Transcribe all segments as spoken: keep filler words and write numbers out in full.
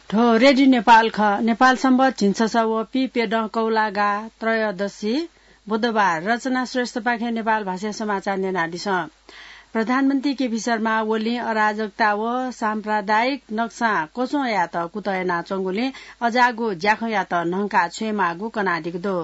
थ्व रेडियो नेपाल खः। नेपाल सम्बत झिंछसः व पीप्यदँ कौलागा त्रयोदशी बुधबार। रचना श्रेष्ठपाखें नेपाल भाषाया समाचार न्यनादिसँ। प्रधानमन्त्री केपी शर्मा ओलीं अराजकता व साम्प्रदायिक नक्सां क्वच्वंयात कुतः यानाच्वंगुलिं अज्याःगु ज्याखँयात न्हंका छ्वयेमाःगु कनादीगु दु।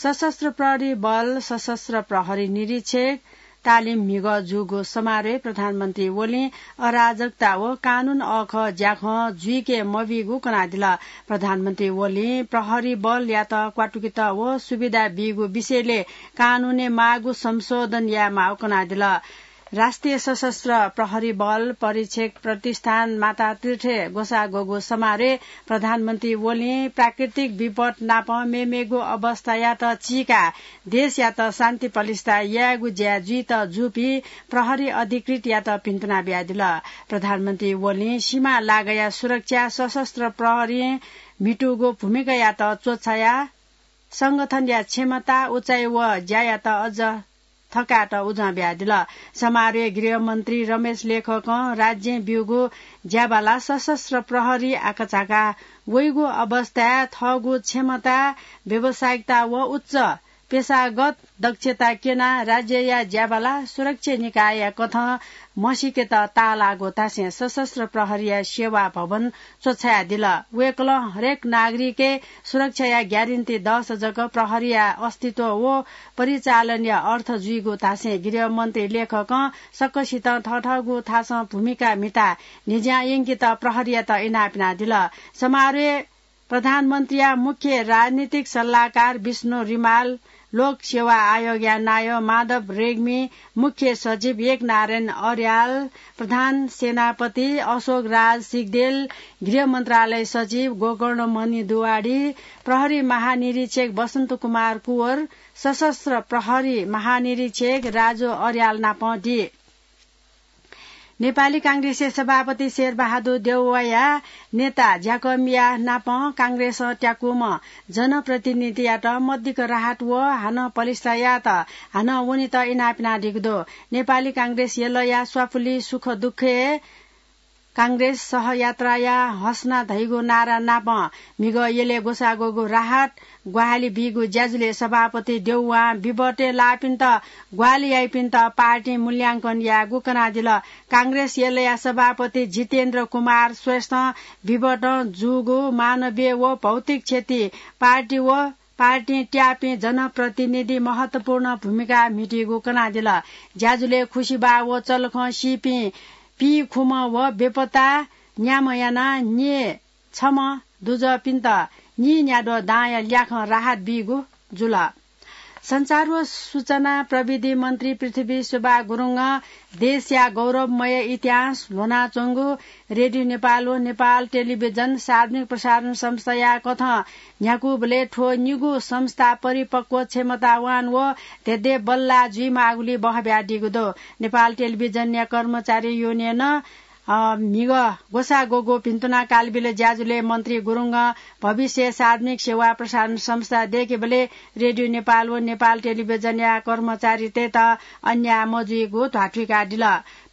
सशस्त्र प्रहरी बल, सशस्त्र प्रहरी निरीक्षक, तालिम म्हिगः जूगु समारोहय् प्रधानमन्त्री ओलीं अराजकता व कानून अःखः ज्याखँ जुइके मबीगु कनादिल। प्रधानमन्त्री ओलीं प्रहरी बलयात क्वातुकेत व सुविधा बीगु विषयले कानूनय् माःगु संशोधन यायेमाःगु कनादिल। राष्ट्रिय सशस्त्र प्रहरी बल परीक्षक प्रतिष्ठान मातातीर्थय् ग्वसाः ग्वःगु समारोहय् प्रधानमन्त्री ओलीं प्राकृतिक विपत नाप मेमेगु अवस्थायात चीकाः देशयात शान्ति पलिस्था यायेगु ज्या जुइत जूपिं प्रहरी अधिकृतयात भिन्तुना बियादिल। प्रधानमन्त्री ओलीं सीमा लागःया सुरक्षा, सशस्त्र प्रहरीं म्हितूगु भूमिकायात च्वछायाः संगठनया क्षमता, उचाइ व ज्यायात अझ थकायेत उजं बियादिल। समारोहय् गृहमन्त्री रमेश लेखकं राज्यं ब्यूगु ज्याबाला सशस्त्र प्रहरी आकाझाका वइगु अवस्थाय् थःगु क्षमता, व्यावसायिकता व उच्च पेशागत दक्षता क्यनाः राज्यया ज्याबाला सुरक्षा निकायया कथं म्हसीकेत ताःलाःगु धासें सशस्त्र प्रहरीया सेवा भवन च्वछायादिल। वय्कलं हरेक नागरिकय् सुरक्षाया ग्यारेन्टी दःसा जक प्रहरीया अस्तित्व व परिचालनया अर्थ जुइगु धासें गृहमन्त्री लेखकं सकसितं थःथःगु थासं भूमिका म्हिताः न्हिज्यां यंकेत प्रहरीयात इनाप यानादिल। समारोहय् प्रधानमन्त्रीया मुख्य राजनीतिक सल्लाहकार विष्णु रिमाल, लोक सेवा आयोगया नायः माधव रेग्मी, मुख्य सचिव एकनारायण अर्याल, प्रधान सेनापति अशोक राज सिग्देल, गृह मन्त्रालय सचिव गोकर्ण मणि दुवाडी, प्रहरी महानिरीक्षक बसन्त कुमार कुँवर, सशस्त्र प्रहरी महानिरीक्षक राजु अर्याल नाप दी। नेपाली कांग्रेसया सभापति शेरबहादुर देउवाया नेता ज्याकमिया नाप कांग्रेसं त्याकूम्ह जनप्रतिनिधियात मदिक्क राहत व हानं पलिस्था यायेत हानं वनेत इनाप यानादीगु दु। नेपाली कांग्रेस यलया स्वाफुलि सुख दुःखय् कांग्रेस सहयात्राया हसना धइगु नारा नाप म्हिगः यलय् ग्वसाः ग्वःगु राहत ग्वाहालि बीगु ज्याझ्वलय् सभापति देउवां विपतय् लाःपिन्त ग्वाहालि याइपिन्त पार्टीं मूल्यांकन यायेगु कनादिल। कांग्रेस यलया सभापति जितेन्द्र कुमार श्रेष्ठं विपतं जूगु मानवीय व भौतिक क्षति पार्टी व पार्टीं त्याःपिं जनप्रतिनिधि महत्वपूर्ण भूमिका म्हितीगु कनादिल। ज्याझ्वलय् खुसिबाः व चलखं सीपिं पीखुम्ह व बेपत्ता न्याम्ह यानाः न्ये छम्ह दुजःपिन्त नीन्याद्वः दांया ल्याखं राहत बीगु जुल। सञ्चार व सूचना प्रविधि मन्त्री पृथ्वी सुब्बा गुरुङं देशया गौरवमय इतिहास ल्ह्वनाच्वंगु रेडियो नेपाल व नेपाल टेलिभिजन सार्वजनिक प्रसारण संस्थाया कथं न्ह्याकूबलय् थ्व निगू संस्था परिपक्व, क्षमतावान व धेंधेंबल्लाः जुइमाःगुलिइ बहः बियादीगु दु। नेपाल टेलिभिजनया कर्मचारी युनियनं अ, म्हिगः ग्वसाः ग्वःगु भिन्तुना कालबिल ज्याझ्वलय् मन्त्री गुरुङं भविष्यय् सार्वजनिक सेवा प्रसारण संस्था दय्केबलय् रेडियो नेपाल व नेपाल टेलिभिजनया कर्मचारीतय्त अन्याय मजुइगु ध्वाथुइकादिल।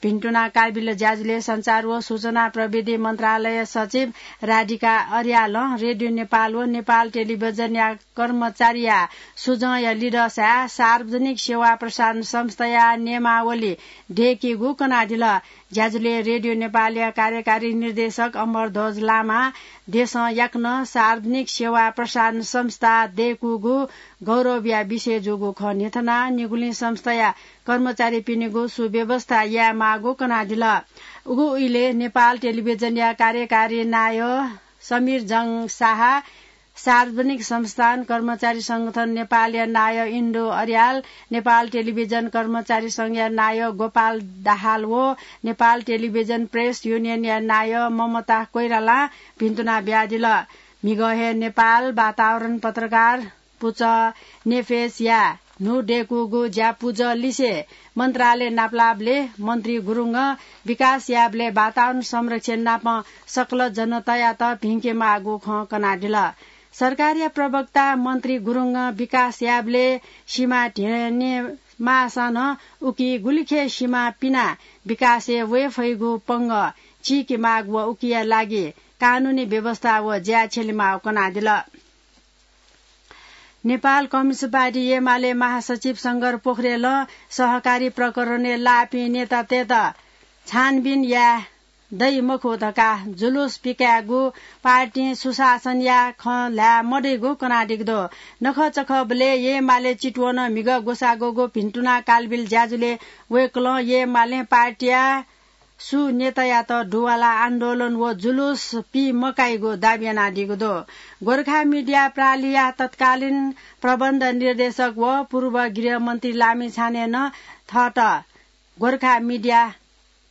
भिन्तुना कालबिल ज्याझ्वलय् सञ्चार व सूचना प्रविधि मन्त्रालय सचिव राधिका अर्यालं रेडियो नेपाल व नेपाल टेलिभिजनया कर्मचारीया सुझंया लिधःसाय् सार्वजनिक सेवा प्रसारण संस्थाया नियमावली दय्केगु कनादिल। ज्याझ्वलय् रेडियो नेपालया कार्यकारी निर्देशक अमरध्वज लामां देशं याकनं सार्वजनिक सेवा प्रसारण संस्था दय्कूगु गौरवया विषय जूगु खँ न्ह्यथनाः निगुलिं संस्थाया कर्मचारीपिनिगु सुव्यवस्था यायेमाःगु कनादिल। उगु इलय् नेपाल टेलिभिजनया कार्यकारी नायः समीर जंग शाह, सार्वजनिक संस्थान कर्मचारी संगठन नेपालया नायः इन्दु अर्याल, नेपाल टेलिभिजन कर्मचारी संघया नायः गोपाल दाहाल व नेपाल टेलिभिजन प्रेस युनियनया नायः ममता कोइरालां भिन्तुना बियादिल। म्हिगः हे नेपाल वातावरण पत्रकार पुचः नेफेसया न्हू दय्कूगु ज्यापुचः लिसे मन्त्रालय नापलाःबलय् मन्त्री गुरुङं विकास याःबलय् वातावरण संरक्षण नाप सकल जनतायात भिंके माःगु खँ कनादिल। सरकारया प्रवक्ता मन्त्री गुरुङं विकास याःबलय् सिमा ध्यने माःसां नं उकी गुलिखे सिमा पिनाः विकासय् वये फइगु पंगः चीके माःगु व उकिया लागि कानूनी व्यवस्था व ज्या छ्यलेमाःगु कनादिल। नेपाल कम्युनिस्ट पार्टी एमाले महासचिव शंकर पोखरेलं सहकारी प्रकरणय् लाःपिं नेतातय्त छानबिन याये दइ मखु धकाः जुलुस पिकायेगु, पार्टीं सुशासनया खँ ल्हाये मदइगु कनादीगु दु। नखःचखःबलय् एमाले चितवनं म्हिगः ग्वसाः ग्वःगु भिन्तुना कालबिल ज्याझ्वलय् वय्कलं एमालें पार्टीया सु नेतायात दुवालाः आन्दोलन व जुलुस पी मकाइगु दाबी यानादीगु दु। गोर्खा मिडिया प्रालिया तत्कालीन प्रबन्ध निर्देशक व पूर्व गृहमन्त्री लामिछानें नं थःत गोर्खा मिडिया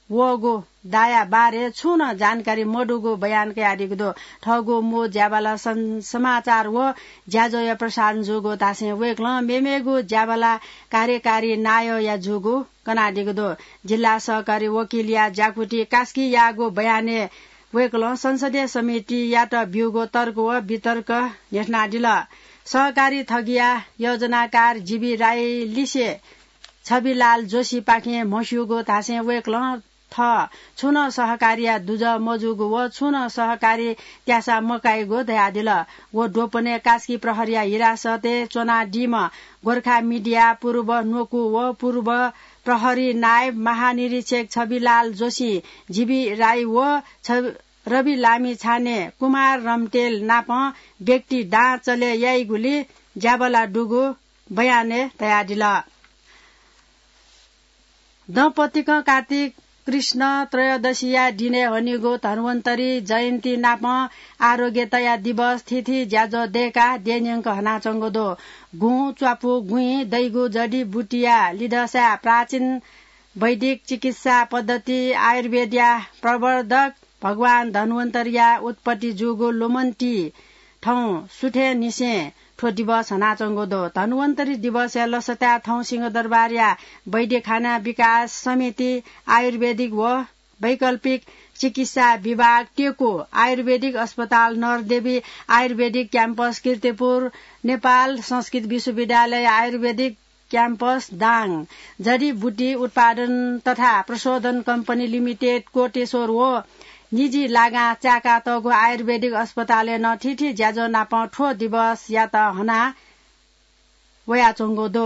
वःगु दाया बारे छुं नं जानकारी मदुगु बयान कयादीगु दु। थःगु मू ज्याबाला सं-, समाचार व ज्याझ्वःया प्रसारण जूगु धासें वय्कलं मेमेगु ज्याबाला कार्यकारी नायःया जूगु कनादीगु दु। जिल्ला सहकारी वकिलया ज्याकुथि कास्कीयागु बयानय् वय्कलं संसदीय समितियात ब्यूगु तर्क व वितर्क न्ह्यथनादिल। सहकारी थगिया योजनाकार जीबी राई लिसे छविलाल जोशीपाखें म्हस्यूगु धासें वय्कलं थः छुं नं सहकारीया दुजः मजूगु व छुं नं सहकारी त्यासा मकाइगु धयादिल। व द्वपनय् कास्की प्रहरीया हिरासतय् च्वनादीम्ह गोर्खा मिडिया पूर्व न्वकू व पूर्व प्रहरी नायब महानिरीक्षक छविलाल जोशी, जीबी राई व छ-, रवि लामिछाने, कुमार रम्तेल नाप व्यक्ति दां चले याइगुली ज्याबला दुगु बयानय् धयादिल। दँपतिकं कार्तिक कृष्ण त्रयोदशीया दिनय् हनीगु धन्वन्तरी जयन्ती नाप आरोग्यतया दिवस थीथी ज्याझ्वः दय्काः देन्यंक हनाच्वंगु दु। गुँ, च्वापु, गुँइ दइगु जडीबुटीया लिधःसाय् प्राचीन वैदिक चिकित्सा पद्धति आयुर्वेदया प्रवर्धक भगवान धन्वन्तरीया उत्पत्ति जूगु लुमन्ती थौं सुथय्निसें थ्व दिवस हनाच्वंगु दु। धन्वन्तरी दिवसया लसताय् थौं सिंहदरबारया वैद्यखाना विकास समिति, आयुर्वेदिक व वैकल्पिक चिकित्सा विभाग, टेकु आयुर्वेदिक अस्पताल, नरदेवी आयुर्वेदिक क्याम्पस, कीर्तिपुर नेपाल संस्कृत विश्वविद्यालय आयुर्वेदिक क्याम्पस, दाङ जडीबुटी उत्पादन तथा प्रशोधन कम्पनी लिमिटेड, कोटेश्वर व निजी लागां चाय्कातःगु आयुर्वेदिक अस्पतालय् नं थीथी ज्याझ्वः नाप थ्व दिवसयात हना वयाच्वंगु दु।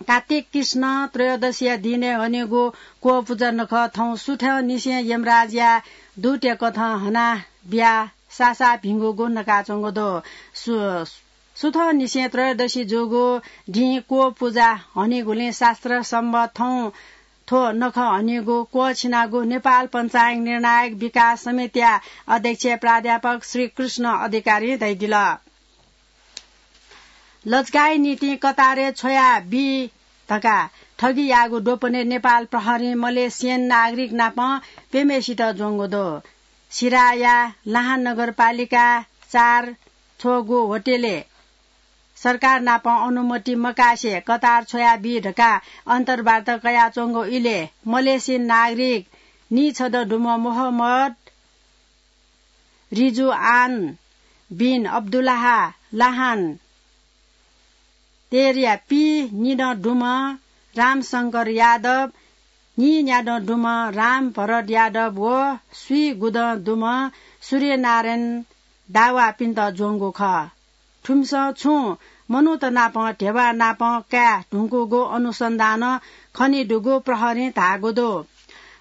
कार्तिक कृष्ण त्रयोदशीया दिनय् हनीगु क्वः पुजा नखः थौं सुथंनिसें यमराजया दूतया कथं हना बियाः सासा भिंगुगु नकाच्वंगु दु। सु-, सुथंनिसें त्रयोदशी जूगु दिं क्वः पुजा हनीगुलिं शास्त्र सम्बत थौं थ्व नखः हनीगु क्वःछिनागु नेपाल पञ्चाङ्ग निर्णायक विकास समितिया अध्यक्ष प्राध्यापक श्री कृष्ण अधिकारीं धयादिल। लजगाःया निंतिं कतारय् छ्वया बी धकाः ठगी याःगु द्वपनय् नेपाल प्रहरीं मलेसियन नागरिक नाप प्यम्हेसित ज्वंगु दु। सिराया लाहान नगरपालिका चार छ्वःगु होटलय् सरकार नाप अनुमति मकासे कतार छ्वया बी धकाः अन्तर्वार्ता कयाच्वंगु इलय् मलेसियन नागरिक नीछदँ दुम्ह मोहम्मद रिजुआन बिन अब्दुल्लाह लाहान तेरया पीनिदँ दुम्ह रामशंकर यादव, नीन्यादँ दुम्ह रामभरत यादव व स्वीगुदँ दुम्ह सूर्यनारायण दावापिन्त ज्वंगु खः। थुमिसं छुं मनूत नाप धेबा नाप काये धुंकूगु अनुसन्धानं खनेदुगु प्रहरीं धाःगु दु।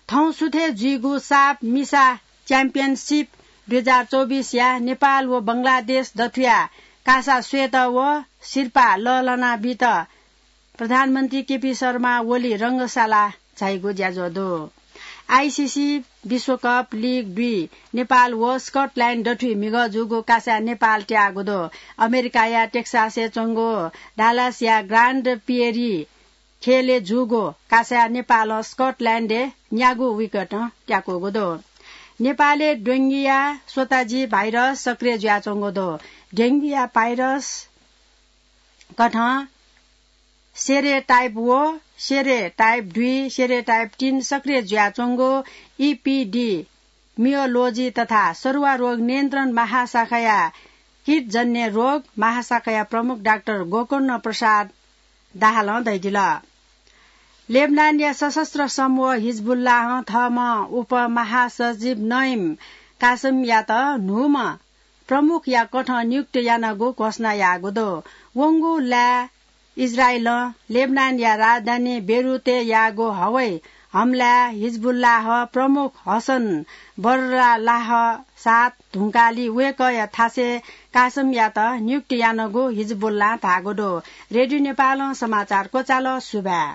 थौं सुथय् जुइगु साप मिसा च्याम्पियनसिप दुई हजार चौबिसया नेपाल व बंगलादेश दथुया कासा स्वयेत व सिरपाः लःल्हाना बीत प्रधानमन्त्री केपी शर्मा ओली रंगशाला झाइगु ज्याझ्वः दु। आइसिसी विश्वकप लिग दुई नेपाल व स्कटल्याण्ड दथुइ म्हिगः जूगु कासाय् नेपाल त्याःगु दु। अमेरिकाया टेक्सासय् च्वंगु डालासया ग्रान्ड प्रियरी खेलय् जूगु कासाय् नेपालं स्कटल्याण्डय् न्यागू विकेटं त्याकूगु दु। नेपालय् डेंगुया स्वताजी भाइरस सक्रिय जुयाच्वंगु दु। डेंगुया भाइरस कथं सेरोटाइप व सेरोटाइप दुई, सेरोटाइप तीन सक्रिय जुयाच्वंगु इपिडिमियोलोजी तथा सरुवा रोग नियन्त्रण महाशाखाया कीटजन्य रोग महाशाखाया प्रमुख डाक्टर गोकर्ण प्रसाद दाहालं धयादिल। लेबनानया सशस्त्र समूह हिजबुल्लाहं थःम्हं उपमहासचिव नइम कासमयात न्हूम्ह प्रमुखया कथं नियुक्त यानागु घोषणा याःगु दु। वंगु लाय् इजरायलं लेबनानया राजधानी बेरुतय् याःगु हवाई हमलाय् हिजबुल्लाह प्रमुख हसन बर्रालाह सात धुंकाली वय्कःया थासय् कासमयात नियुक्त यानागु हिजबुल्लां धाःगु दु। रेडियो नेपालं समाचार क्वचाल। सुभाय्।